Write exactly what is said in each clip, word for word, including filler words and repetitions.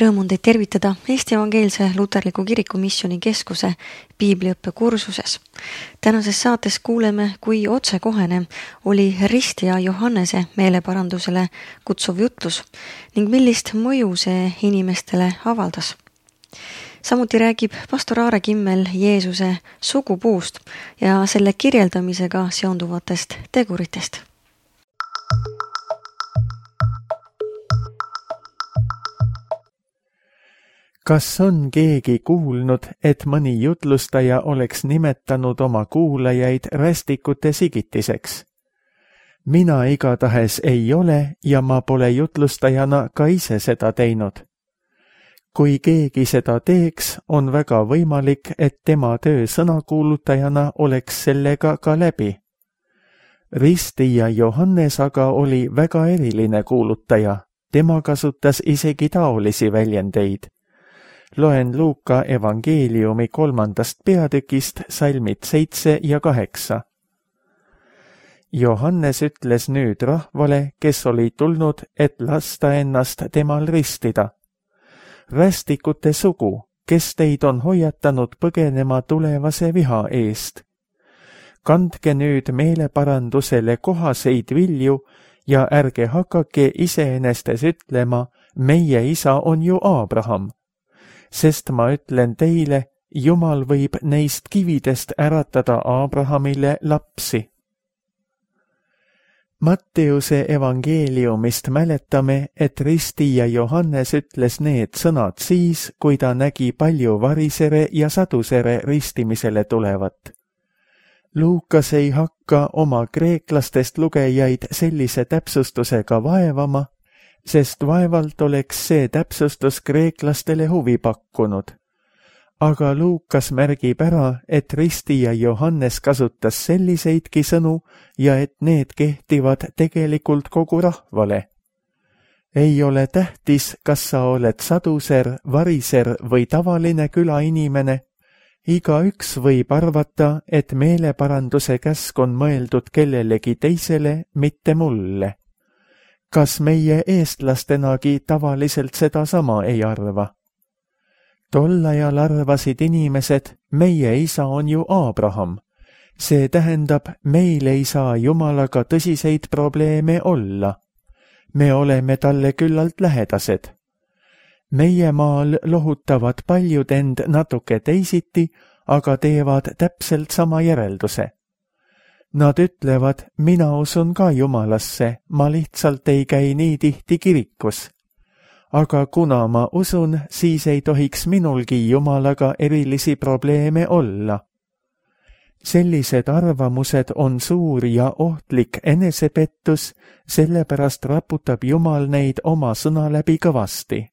Rõõm on teid tervitada Eesti Evangeelse Luterliku Kiriku Missiooni Keskuse piibliõppe kursuses. Tänases saates kuuleme, kui otsekohene oli ristija Johannese meeleparandusele kutsuv jutlus ning millist mõju see inimestele avaldas. Samuti räägib pastor Aare Kimmel Jeesuse sugupuust ja selle kirjeldamisega seonduvatest teguritest. Kas on keegi kuulnud, et mõni jutlustaja oleks nimetanud oma kuulajaid rästikute sigitiseks? Mina igatahes ei ole ja ma pole jutlustajana ka ise seda teinud. Kui keegi seda teeks, on väga võimalik, et tema töö sõnakuulutajana oleks sellega ka läbi. Ristija Johannes aga oli väga eriline kuulutaja. Tema kasutas isegi taolisi väljendeid. Loen Luuka evangeeliumi kolmandast peatükist salmid seitse ja kaheksa. Johannes ütles nüüd rahvale, kes oli tulnud, et lasta ennast temal ristida. Rästikute sugu, kes teid on hoiatanud põgenema tulevase viha eest. Kandke nüüd meeleparandusele kohaseid vilju ja ärge hakake iseenestes ütlema, meie isa on ju Aabraham. Sest ma ütlen teile, Jumal võib neist kividest äratada Aabrahamile lapsi. Matteuse evangeeliumist mäletame, et ristija Johannes ütles need sõnad siis, kui ta nägi palju varisere ja sadusere ristimisele tulevat. Luukas ei hakka oma kreeklastest lugejaid sellise täpsustusega vaevama, sest vaevalt oleks see täpsustus kreeklastele huvi pakkunud. Aga Luukas märgib ära, et ristija Johannes kasutas selliseidki sõnu ja et need kehtivad tegelikult kogu rahvale. Ei ole tähtis, kas sa oled saduser, variser või tavaline külainimene. Igaüks võib arvata, et meeleparanduse käsk on mõeldud kellelegi teisele, mitte mulle. Kas meie eestlastenagi tavaliselt seda sama ei arva? Tol ajal arvasid inimesed, meie isa on ju Aabraham. See tähendab, meil ei saa Jumalaga tõsiseid probleeme olla. Me oleme talle küllalt lähedased. Meie maal lohutavad paljud end natuke teisiti, aga teevad täpselt sama järelduse. Nad ütlevad, mina usun ka Jumalasse, ma lihtsalt ei käi nii tihti kirikus. Aga kuna ma usun, siis ei tohiks minulgi Jumalaga erilisi probleeme olla. Sellised arvamused on suur ja ohtlik enesepettus, sellepärast raputab Jumal neid oma sõna läbi kõvasti.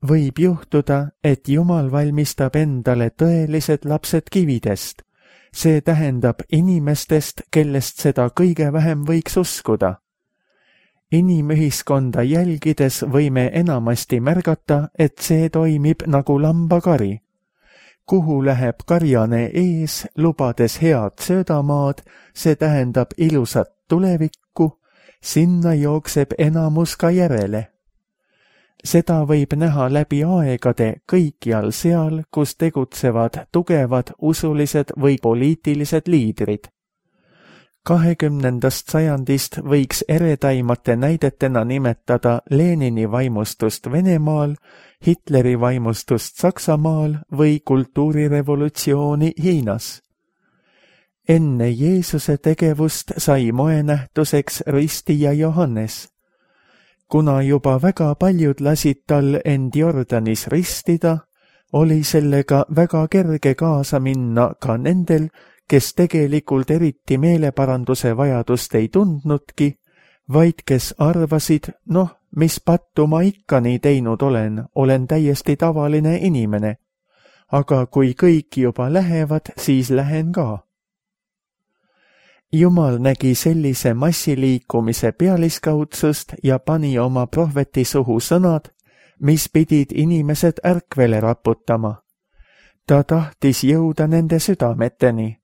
Võib juhtuda, et Jumal valmistab endale tõelised lapsed kividest. See tähendab inimestest, kellest seda kõige vähem võiks uskuda. Inimühiskonda jälgides võime enamasti märgata, et see toimib nagu lambakari. Kuhu läheb karjane ees, lubades head söödamaad, see tähendab ilusat tulevikku, sinna jookseb enamus ka järele. Seda võib näha läbi aegade kõikjal seal, kus tegutsevad tugevad usulised või poliitilised liidrid. Kahekümnendast sajandist võiks eredaimate näidetena nimetada Lenini vaimustust Venemaal, Hitleri vaimustust Saksamaal või kultuurirevolutsiooni Hiinas. Enne Jeesuse tegevust sai moenähtuseks ristija Johannes. Kuna juba väga paljud lasid tal end Jordanis ristida, oli sellega väga kerge kaasa minna ka nendel, kes tegelikult eriti meeleparanduse vajadust ei tundnudki, vaid kes arvasid, noh, mis pattu ma ikka nii teinud olen, olen täiesti tavaline inimene. Aga kui kõik juba lähevad, siis lähen ka. Jumal nägi sellise massiliikumise pealiskaudsust ja pani oma prohveti suhu sõnad, mis pidid inimesed ärkvele raputama. Ta tahtis jõuda nende südameteni.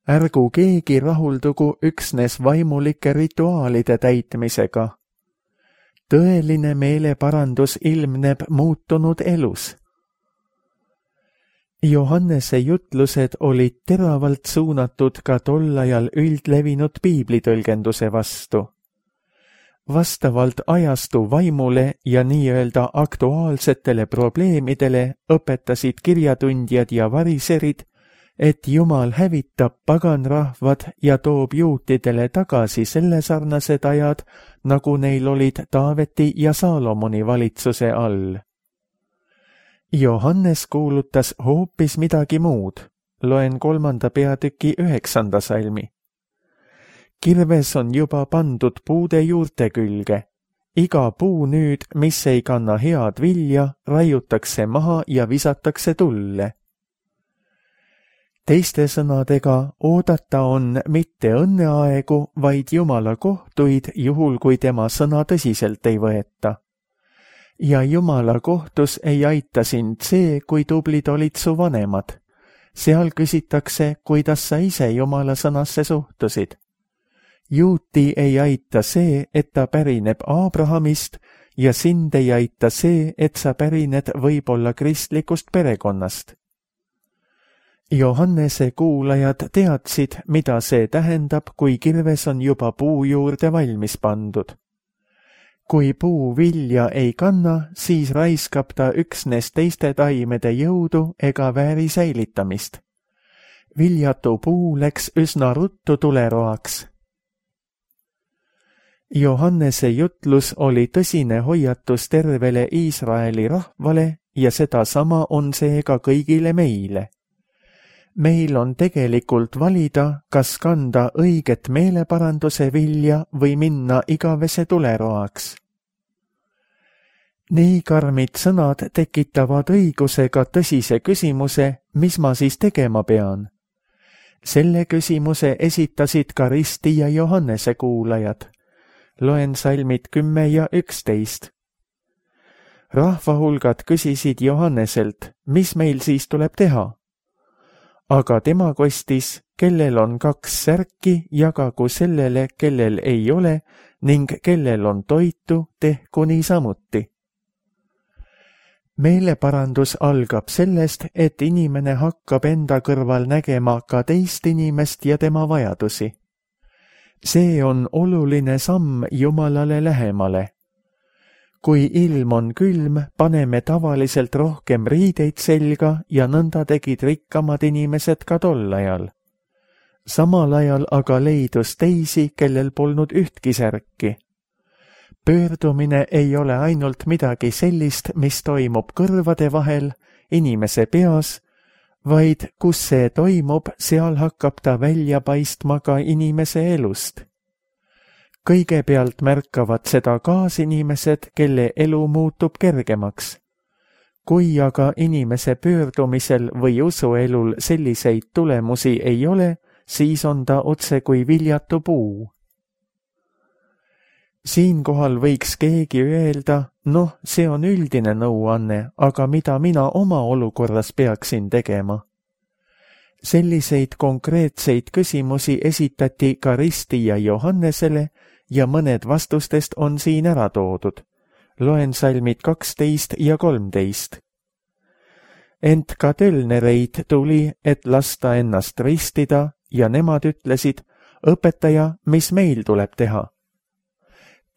Ärgu keegi rahuldugu üksnes vaimulike rituaalide täitmisega. tõeline meeleparandus ilmneb muutunud elus. Johannese jutlused olid teravalt suunatud ka tol ajal üldlevinud piiblitõlgenduse vastu. Vastavalt ajastu vaimule ja nii-öelda aktuaalsetele probleemidele õpetasid kirjatundjad ja variserid, et Jumal hävitab paganrahvad ja toob juutidele tagasi selle sarnased ajad, nagu neil olid Taaveti ja Saalomoni valitsuse all. Johannes kuulutas hoopis midagi muud. Loen kolmanda peatüki üheksanda salmi. Kirves on juba pandud puude juurte külge. Iga puu nüüd, mis ei kanna head vilja, raiutakse maha ja visatakse tulle. Teiste sõnadega, oodata on mitte õnneaegu, vaid Jumala kohtuid, juhul kui tema sõna tõsiselt ei võeta. Ja Jumala kohtus ei aita sind see, kui tublid olid su vanemad. Seal küsitakse, kuidas sa ise Jumala sõnasse suhtusid. Juuti ei aita see, et ta pärineb Abrahamist ja sind ei aita see, et sa pärined võib-olla kristlikust perekonnast. Johannese kuulajad teadsid, mida see tähendab, kui kirves on juba puu juurde valmis pandud. Kui puu vilja ei kanna, siis raiskab ta üksnes teiste taimede jõudu ega vääri säilitamist. Viljatu puu läks üsna ruttu tuleroaks. Johannese jutlus oli tõsine hoiatus tervele Iisraeli rahvale ja sedasama on see ka kõigile meile. Meil on tegelikult valida, kas kanda õiget meeleparanduse vilja või minna igavese tuleroaks. Nii karmid sõnad tekitavad õigusega tõsise küsimuse, mis ma siis tegema pean. Selle küsimuse esitasid ka Risti ja Johannese kuulajad. Loen salmid kümme ja üksteist. Rahvahulgad küsisid Johanneselt, mis meil siis tuleb teha? Aga tema kostis, kellel on kaks särki, jagagu sellele, kellel ei ole, ning kellel on toitu, tehku niisamuti. Meeleparandus algab sellest, et inimene hakkab enda kõrval nägema ka teist inimest ja tema vajadusi. See on oluline samm Jumalale lähemale. Kui ilm on külm, paneme tavaliselt rohkem riideid selga ja nõnda tegid rikkamad inimesed ka tol ajal. Samal ajal aga leidus teisi, kellel polnud ühtki särki. Pöördumine ei ole ainult midagi sellist, mis toimub kõrvade vahel, inimese peas, vaid kus see toimub, seal hakkab ta välja paistma ka inimese elust. Kõigepealt märkavad seda kaasinimesed, kelle elu muutub kergemaks. Kui aga inimese pöördumisel või usuelul selliseid tulemusi ei ole, siis on ta otse kui viljatu puu. Siinkohal võiks keegi öelda, noh, see on üldine nõuanne, aga mida mina oma olukorras peaksin tegema? Selliseid konkreetseid küsimusi esitati ka Risti ja Johannesele ja mõned vastustest on siin ära toodud. Loen salmid kaksteist ja kolmteist. Ent ka tölnereid tuli, et lasta ennast ristida ja nemad ütlesid, õpetaja, mis meil tuleb teha?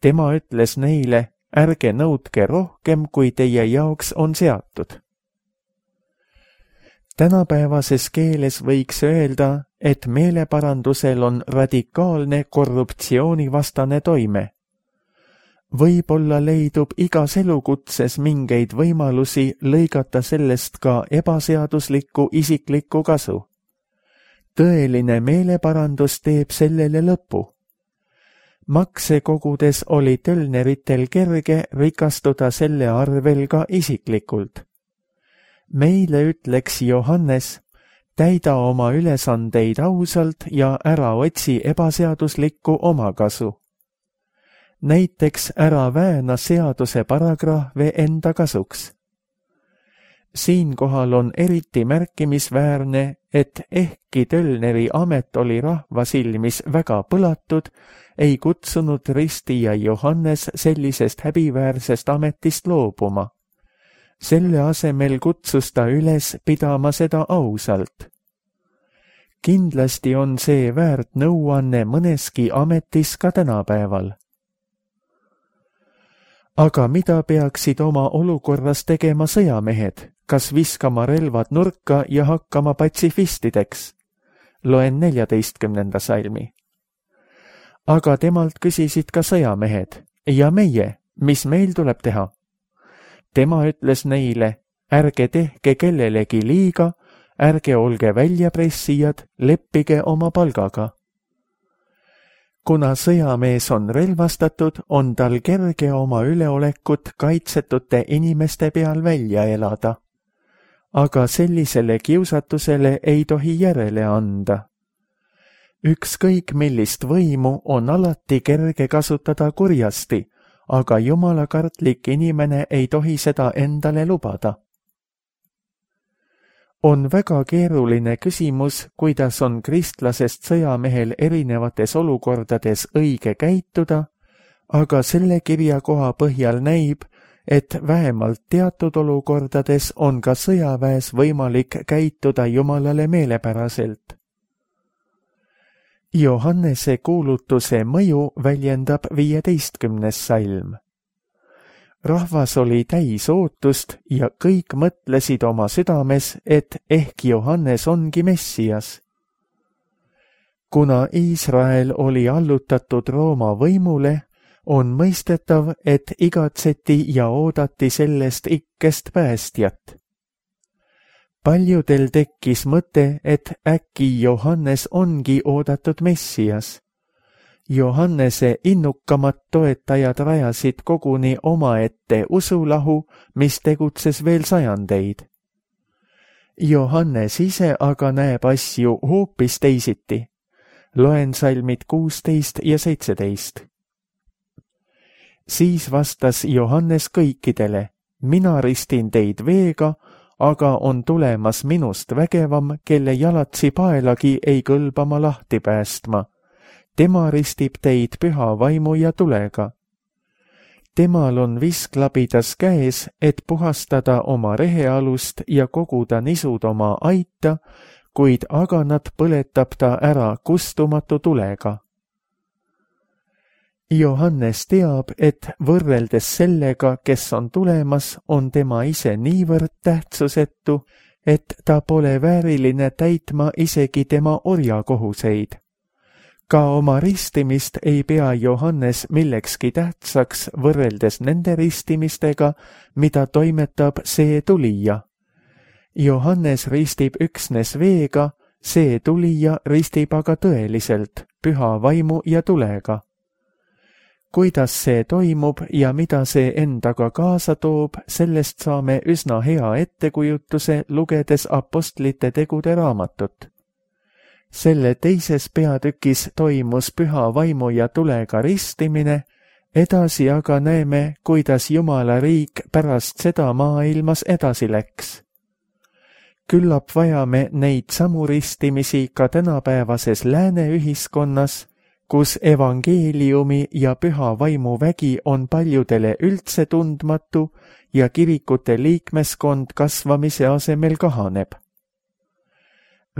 Tema ütles neile, ärge nõudke rohkem, kui teie jaoks on seatud. Tänapäevases keeles võiks öelda, et meeleparandusel on radikaalne korruptsioonivastane toime. Võib-olla leidub igas elukutses mingeid võimalusi lõigata sellest ka ebaseaduslikku isiklikku kasu. Tõeline meeleparandus teeb sellele lõpu. Makse kogudes oli tölneritel kerge rikastuda selle arvel ka isiklikult. Meile ütleks Johannes, täida oma ülesandeid ausalt ja ära otsi ebaseaduslikku omakasu. Näiteks ära vääna seaduse paragrahve enda kasuks. Siinkohal on eriti märkimisväärne, et ehkki Tölneri amet oli rahva silmis väga põlatud, ei kutsunud ristija Johannes sellisest häbiväärsest ametist loobuma. Selle asemel kutsus ta üles pidama seda ausalt. Kindlasti on see väärt nõuanne mõneski ametis ka tänapäeval. Aga mida peaksid oma olukorras tegema sõjamehed? Kas viskama relvad nurka ja hakkama patsifistideks? Loen neljateistkümnenda salmi. Aga temalt küsisid ka sõjamehed, ja meie, mis meil tuleb teha? Tema ütles neile, ärge tehke kellelegi liiga, ärge olge väljapressijad, leppige oma palgaga. Kuna sõjamees on relvastatud, on tal kerge oma üleolekut kaitsetute inimeste peal välja elada. Aga sellisele kiusatusele ei tohi järele anda. Ükskõik millist võimu on alati kerge kasutada kurjasti, aga jumalakartlik inimene ei tohi seda endale lubada. On väga keeruline küsimus, kuidas on kristlasest sõjamehel erinevates olukordades õige käituda, aga selle kirja koha põhjal näib, et vähemalt teatud olukordades on ka sõjaväes võimalik käituda Jumalale meelepäraselt. Johannese kuulutuse mõju väljendab viieteistkümnes salm. Rahvas oli täis ootust ja kõik mõtlesid oma südames, et ehk Johannes ongi Messias. Kuna Iisrael oli allutatud Rooma võimule, on mõistetav, et igatseti ja oodati sellest ikkest päästjat. Paljudel tekkis mõte, et äkki Johannes ongi oodatud Messias. Johannese innukamad toetajad rajasid koguni omaette usulahu, mis tegutses veel sajandeid. Johannes ise aga näeb asju hoopis teisiti. Loen salmid kuusteist ja seitseteist. Siis vastas Johannes kõikidele, mina ristin teid veega, aga on tulemas minust vägevam, kelle jalatsi paelagi ei kõlba ma lahti päästma. Tema ristib teid püha vaimu ja tulega. Temal on visklabidas käes, et puhastada oma rehealust ja koguda nisud oma aita, kuid aganat põletab ta ära kustumatu tulega. Johannes teab, et võrreldes sellega, kes on tulemas, on tema ise niivõrd tähtsusetu, et ta pole vääriline täitma isegi tema orjakohuseid. Ka oma ristimist ei pea Johannes millekski tähtsaks võrreldes nende ristimistega, mida toimetab see tulija. Johannes ristib üksnes veega, see tulija ristib aga tõeliselt, püha vaimu ja tulega. Kuidas see toimub ja mida see endaga kaasa toob, sellest saame üsna hea ettekujutuse lugedes apostlite tegude raamatut. Selle teises peatükis toimus püha vaimu ja tulega ristimine, edasi aga näeme, kuidas Jumala riik pärast seda maailmas edasi läks. Küllap vajame neid samu ristimisi ka tänapäevases lääne ühiskonnas, kus evangeeliumi ja püha vaimu vägi on paljudele üldse tundmatu ja kirikute liikmeskond kasvamise asemel kahaneb.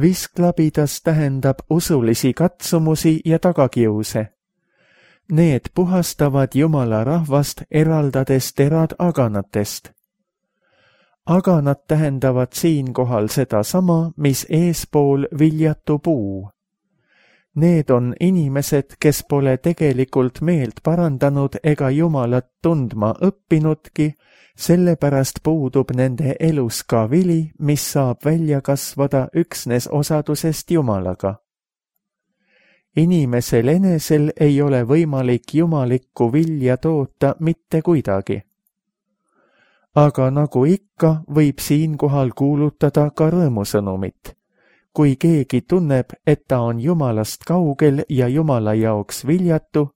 Visklabidas tähendab usulisi katsumusi ja tagakiuse. Need puhastavad Jumala rahvast, eraldades terad aganatest. Aganad tähendavad siinkohal seda sama, mis eespool viljatu puu. Need on inimesed, kes pole tegelikult meelt parandanud ega Jumalat tundma õppinudki, sellepärast puudub nende elus ka vili, mis saab välja kasvada üksnes osadusest Jumalaga. Inimesel enesel ei ole võimalik jumalikku vilja toota mitte kuidagi. Aga nagu ikka, võib siinkohal kuulutada ka rõõmusõnumit. Kui keegi tunneb, et ta on Jumalast kaugel ja Jumala jaoks viljatu,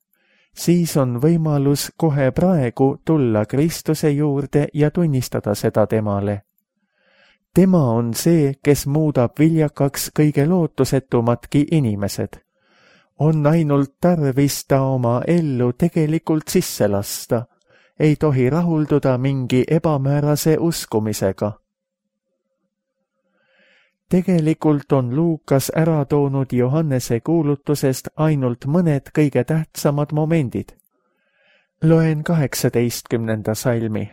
siis on võimalus kohe praegu tulla Kristuse juurde ja tunnistada seda temale. tema on see, kes muudab viljakaks kõige lootusetumatki inimesed. On ainult tarvis ta oma ellu tegelikult sisse lasta. Ei tohi rahulduda mingi ebamäärase uskumisega. Tegelikult on Luukas ära toonud Johannese kuulutusest ainult mõned kõige tähtsamad momendid. Loen kaheksateistkümnenda salmi.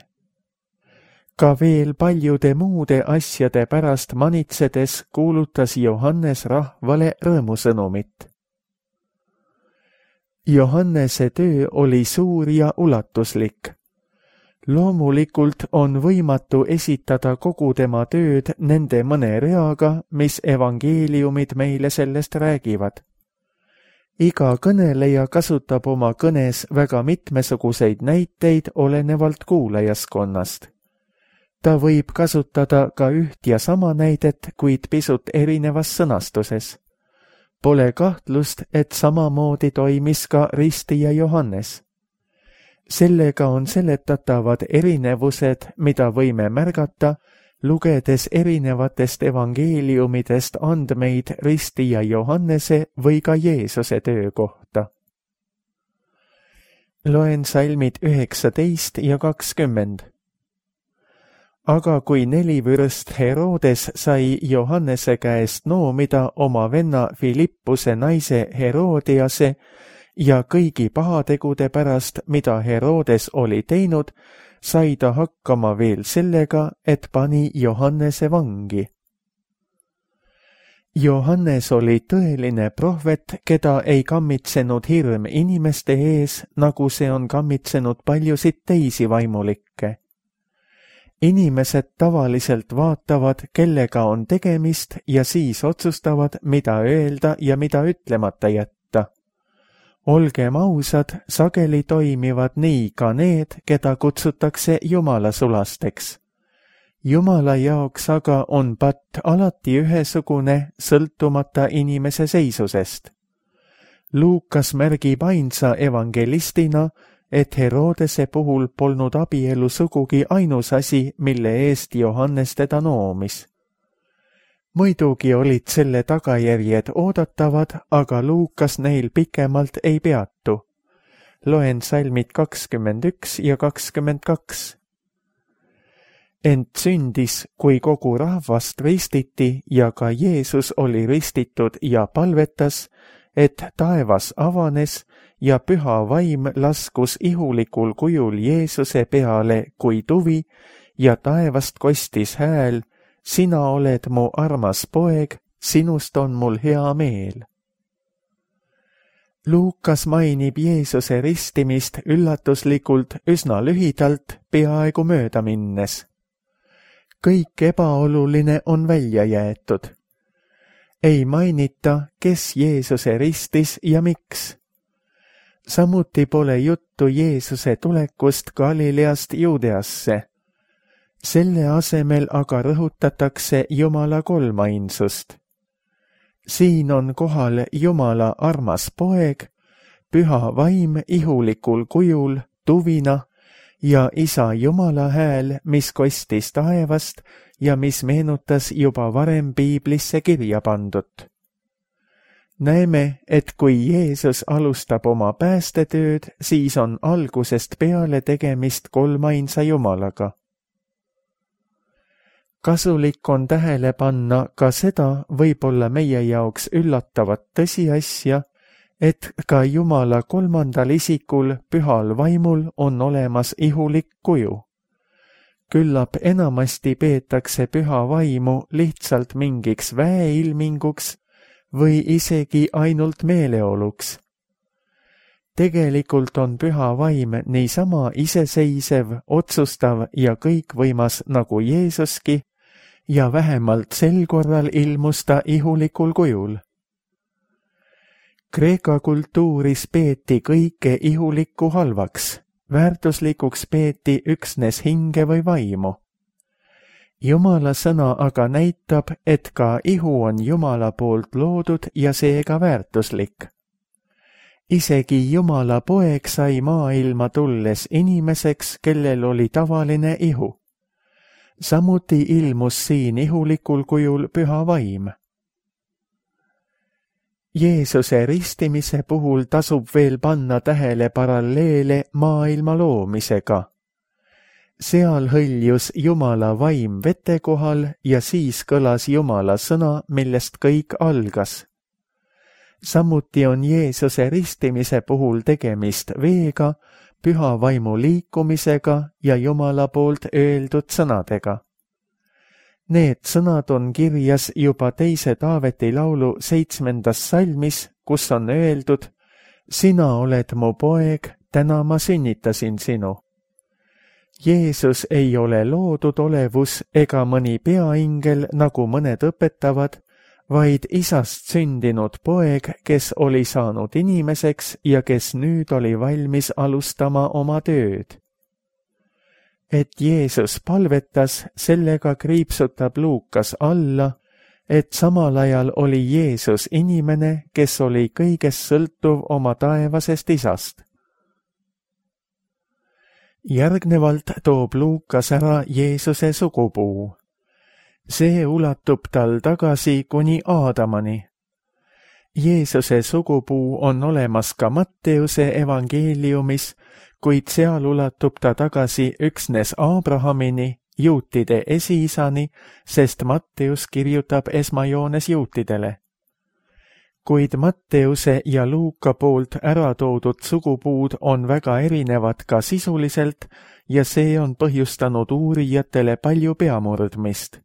Ka veel paljude muude asjade pärast manitsedes kuulutas Johannes rahvale rõõmusõnumit. Johannese töö oli suur ja ulatuslik. Loomulikult on võimatu esitada kogu tema tööd nende mõne reaga, mis evangeeliumid meile sellest räägivad. Iga kõneleja kasutab oma kõnes väga mitmesuguseid näiteid olenevalt kuulajaskonnast. Ta võib kasutada ka üht ja sama näidet, kuid pisut erinevas sõnastuses. Pole kahtlust, et samamoodi toimis ka ristija Johannes. Sellega on seletatavad erinevused, mida võime märgata, lugedes erinevatest evangeeliumidest andmeid ristija Johannese või ka Jeesuse töö kohta. Loen salmid üheksateist ja kakskümmend. Aga kui nelivürst Herodes sai Johannese käest noomida oma venna Filippuse naise Herodiase ja kõigi pahategude pärast, mida Herodes oli teinud, sai ta hakkama veel sellega, et pani Johannese vangi. Johannes oli tõeline prohvet, keda ei kammitsenud hirm inimeste ees, nagu see on kammitsenud paljusid teisi vaimulikke. Inimesed tavaliselt vaatavad, kellega on tegemist ja siis otsustavad, mida öelda ja mida ütlemata jätta. Olgem ausad, sageli toimivad nii ka need, keda kutsutakse Jumala sulasteks. Jumala jaoks aga on patt alati ühesugune, sõltumata inimese seisusest. Luukas märgib ainsa evangelistina, et Herodese puhul polnud abielu sugugi ainus asi, mille eest Johannes teda noomis. Muidugi olid selle tagajärjed oodatavad, aga Luukas neil pikemalt ei peatu. Loen salmid kakskümmend üks ja kakskümmend kaks. Ent sündis, kui kogu rahvast ristiti ja ka Jeesus oli ristitud ja palvetas, et taevas avanes ja püha vaim laskus ihulikul kujul Jeesuse peale kui tuvi ja taevast kostis hääl, sina oled mu armas poeg, sinust on mul hea meel. Luukas mainib Jeesuse ristimist üllatuslikult üsna lühidalt, peaaegu mööda minnes. Kõik ebaoluline on välja jäetud. Ei mainita, kes Jeesuse ristis ja miks. Samuti pole juttu Jeesuse tulekust Galileast Juudeasse. Selle asemel aga rõhutatakse Jumala kolmainsust. Siin on kohal Jumala armas poeg, püha vaim ihulikul kujul, tuvina ja isa Jumala hääl, mis kostis taevast ja mis meenutas juba varem piiblisse kirja pandut. Näeme, et kui Jeesus alustab oma päästetööd, siis on algusest peale tegemist kolmainsa Jumalaga. Kasulik on tähele panna ka seda võib-olla meie jaoks üllatavat tõsiasja, et ka Jumala kolmandal isikul, pühal vaimul, on olemas ihulik kuju. Küllap enamasti peetakse püha vaimu lihtsalt mingiks väeilminguks või isegi ainult meeleoluks. Tegelikult on püha vaim niisama iseseisev, otsustav ja kõikvõimas nagu Jeesuski ja vähemalt sel korral ilmus ta ihulikul kujul. Kreeka kultuuris peeti kõike ihulikku halvaks, väärtuslikuks peeti üksnes hinge või vaimu. Jumala sõna aga näitab, et ka ihu on Jumala poolt loodud ja seega väärtuslik. Isegi Jumala poeg sai maailma tulles inimeseks, kellel oli tavaline ihu. Samuti ilmus siin ihulikul kujul püha vaim. Jeesuse ristimise puhul tasub veel panna tähele paralleele maailma loomisega. Seal hõljus Jumala vaim vete kohal ja siis kõlas Jumala sõna, millest kõik algas. Samuti on Jeesuse ristimise puhul tegemist veega, püha vaimu liikumisega ja Jumala poolt öeldud sõnadega. Need sõnad on kirjas juba teise Taaveti laulu seitsmendas salmis, kus on öeldud: sina oled mu poeg, täna ma sünnitasin sinu. Jeesus ei ole loodud olevus ega mõni peaingel, nagu mõned õpetavad, vaid isast sündinud poeg, kes oli saanud inimeseks ja kes nüüd oli valmis alustama oma tööd. Et Jeesus palvetas, sellega kriipsutab Luukas alla, et samal ajal oli Jeesus inimene, kes oli kõigest sõltuv oma taevasest isast. Järgnevalt toob Luukas ära Jeesuse sugupuu. See ulatub tal tagasi kuni Aadamani. Jeesuse sugupuu on olemas ka Matteuse evangeeliumis, kuid seal ulatub ta tagasi üksnes Abrahamini, juutide esiisani, sest Matteus kirjutab esmajoones juutidele. Kuid Matteuse ja Luuka poolt ära toodud sugupuud on väga erinevad ka sisuliselt ja see on põhjustanud uurijatele palju peamurdmist.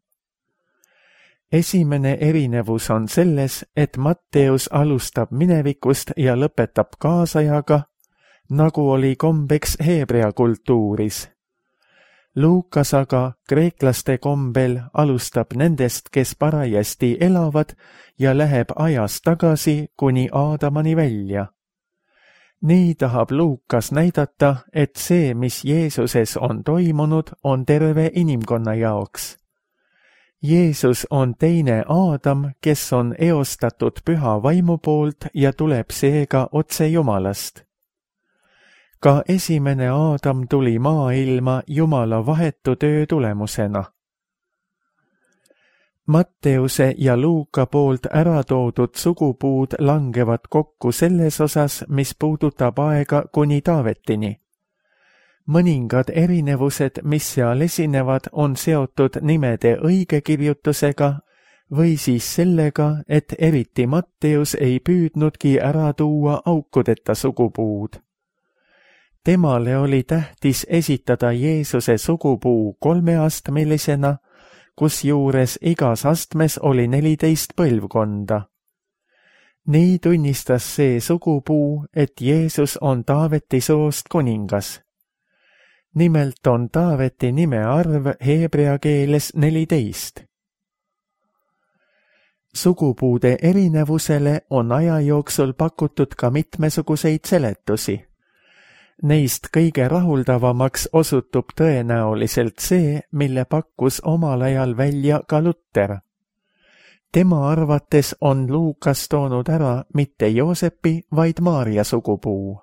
Esimene erinevus on selles, et Matteus alustab minevikust ja lõpetab kaasajaga, nagu oli kombeks heebrea kultuuris. Luukas aga kreeklaste kombel alustab nendest, kes parajasti elavad ja läheb ajas tagasi kuni Aadamani välja. Nii tahab Luukas näidata, et see, mis Jeesuses on toimunud, on terve inimkonna jaoks. Jeesus on teine Aadam, kes on eostatud püha vaimu poolt ja tuleb seega otse Jumalast. Ka esimene Aadam tuli maailma Jumala vahetu töö tulemusena. Matteuse ja Luuka poolt ära toodud sugupuud langevad kokku selles osas, mis puudutab aega kuni Taavetini. Mõningad erinevused, mis seal esinevad, on seotud nimede õigekirjutusega või siis sellega, et eriti Matteus ei püüdnudki ära tuua aukudeta sugupuud. Temale oli tähtis esitada Jeesuse sugupuu kolmeastmelisena, kusjuures igas astmes oli neliteist põlvkonda. Nii tunnistas see sugupuu, et Jeesus on Taaveti soost kuningas. Nimelt on Taaveti nime arv heebrea keeles neliteist. Sugupuude erinevusele on aja jooksul pakutud ka mitmesuguseid seletusi. Neist kõige rahuldavamaks osutub tõenäoliselt see, mille pakkus omal ajal välja ka Luter. Tema arvates on Luukas toonud ära mitte Joosepi, vaid Maarja sugupuu.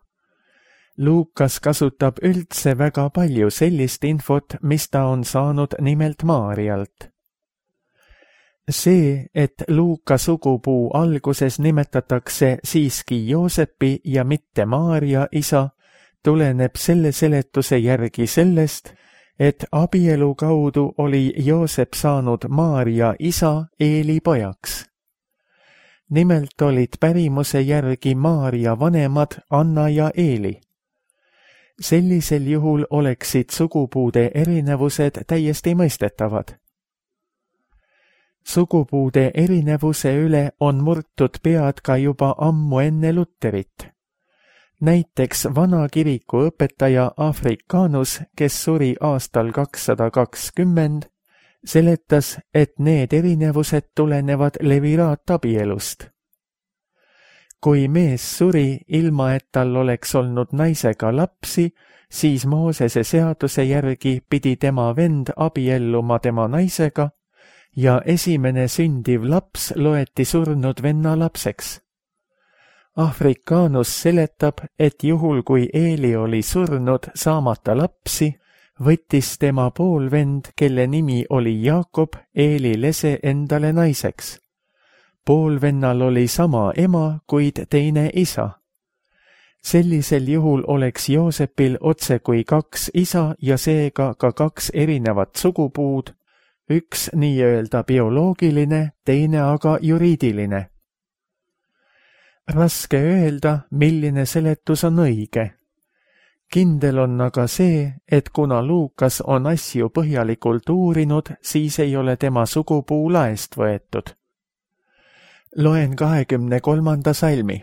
Luukas kasutab üldse väga palju sellist infot, mis ta on saanud nimelt Maarjalt. See, et Luuka sugupuu alguses nimetatakse siiski Joosepi ja mitte Maarja isa, tuleneb selle seletuse järgi sellest, et abielu kaudu oli Joosep saanud Maarja isa Eeli pojaks. Nimelt olid pärimuse järgi Maarja vanemad Anna ja Eeli. Sellisel juhul oleksid sugupuude erinevused täiesti mõistetavad. Sugupuude erinevuse üle on murtud pead ka juba ammu enne Luterit. Näiteks vana kiriku õpetaja Africanus, kes suri aastal kakssada kakskümmend, seletas, et need erinevused tulenevad leviraattabielust. Kui mees suri, ilma et tal oleks olnud naisega lapsi, siis Moosese seaduse järgi pidi tema vend abielluma tema naisega ja esimene sündiv laps loeti surnud venna lapseks. Africanus seletab, et juhul kui Eeli oli surnud saamata lapsi, võttis tema poolvend, kelle nimi oli Jaakob, Eeli lese endale naiseks. Poolvennal oli sama ema, kuid teine isa. Sellisel juhul oleks Joosepil otse kui kaks isa ja seega ka kaks erinevat sugupuud, üks nii-öelda bioloogiline, teine aga juriidiline. Raske öelda, milline seletus on õige. Kindel on aga see, et kuna Luukas on asju põhjalikult uurinud, siis ei ole tema sugupuu laest võetud. Loen kahekümne kolmanda salmi.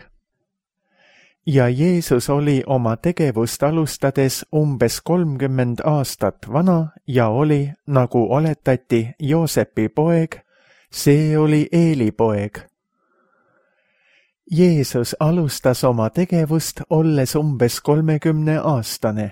Ja Jeesus oli oma tegevust alustades umbes kolmkümmend aastat vana ja oli, nagu oletati, Joosepi poeg, see oli Eeli poeg. Jeesus alustas oma tegevust olles umbes kolmekümne aastane.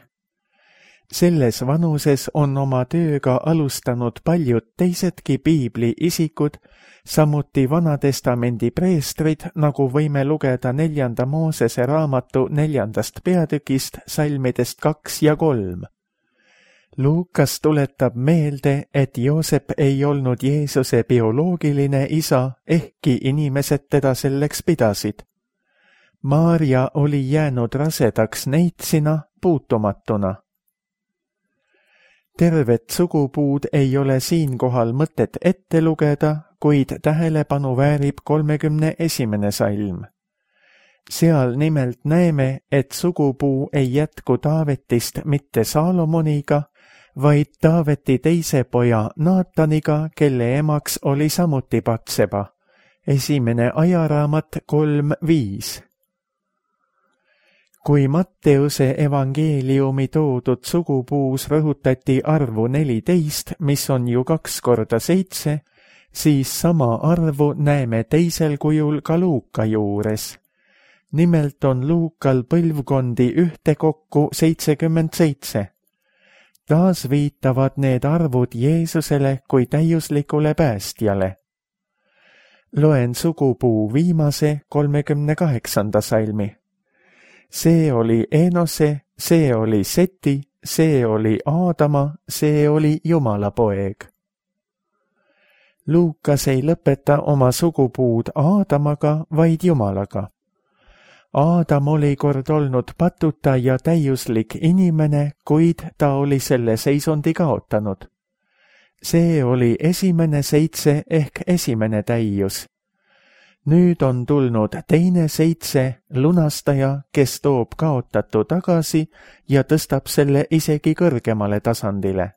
Selles vanuses on oma tööga alustanud paljud teisedki piibli isikud, samuti Vanatestamendi preestrid, nagu võime lugeda neljanda Moosese raamatu neljandast peatükist salmidest kaks ja kolm. Luukas tuletab meelde, et Joosep ei olnud Jeesuse bioloogiline isa, ehkki inimesed teda selleks pidasid. Maarja oli jäänud rasedaks neitsina puutumatuna. Tervet sugupuud ei ole siinkohal mõtet ette lugeda, kuid tähelepanu väärib kolmekümne esimene salm. Seal nimelt näeme, et sugupuu ei jätku Taavetist mitte Saalomoniga, vaid Taaveti teise poja Naataniga, kelle emaks oli samuti Batseba. Esimene ajaraamat kolm viis. Kui Matteuse evangeeliumi toodud sugupuus rõhutati arvu neliteist, mis on ju kaks korda seitse, siis sama arvu näeme teisel kujul ka Luuka juures. Nimelt on Luukal põlvkondi ühtekokku seitsekümmend seitse. Taas viitavad need arvud Jeesusele kui täiuslikule päästjale. Loen sugupuu viimase kolmekümne kaheksanda salmi. See oli Enose, see oli Seti, see oli Aadama, see oli Jumala poeg. Luukas ei lõpeta oma sugupuud Aadamaga, vaid Jumalaga. Aadam oli kord olnud patuta ja täiuslik inimene, kuid ta oli selle seisundi kaotanud. See oli esimene seitse ehk esimene täius. Nüüd on tulnud teine seitse, lunastaja, kes toob kaotatu tagasi ja tõstab selle isegi kõrgemale tasandile.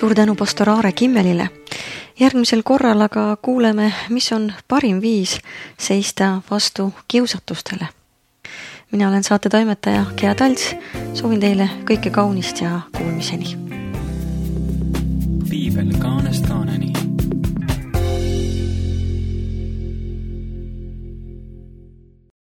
Suur tänu pastor Aare Kimmelile. Järgmisel korral aga kuuleme, mis on parim viis seista vastu kiusatustele. Mina olen saate toimetaja Gea Talts, soovin teile kõike kaunist ja kuulmiseni.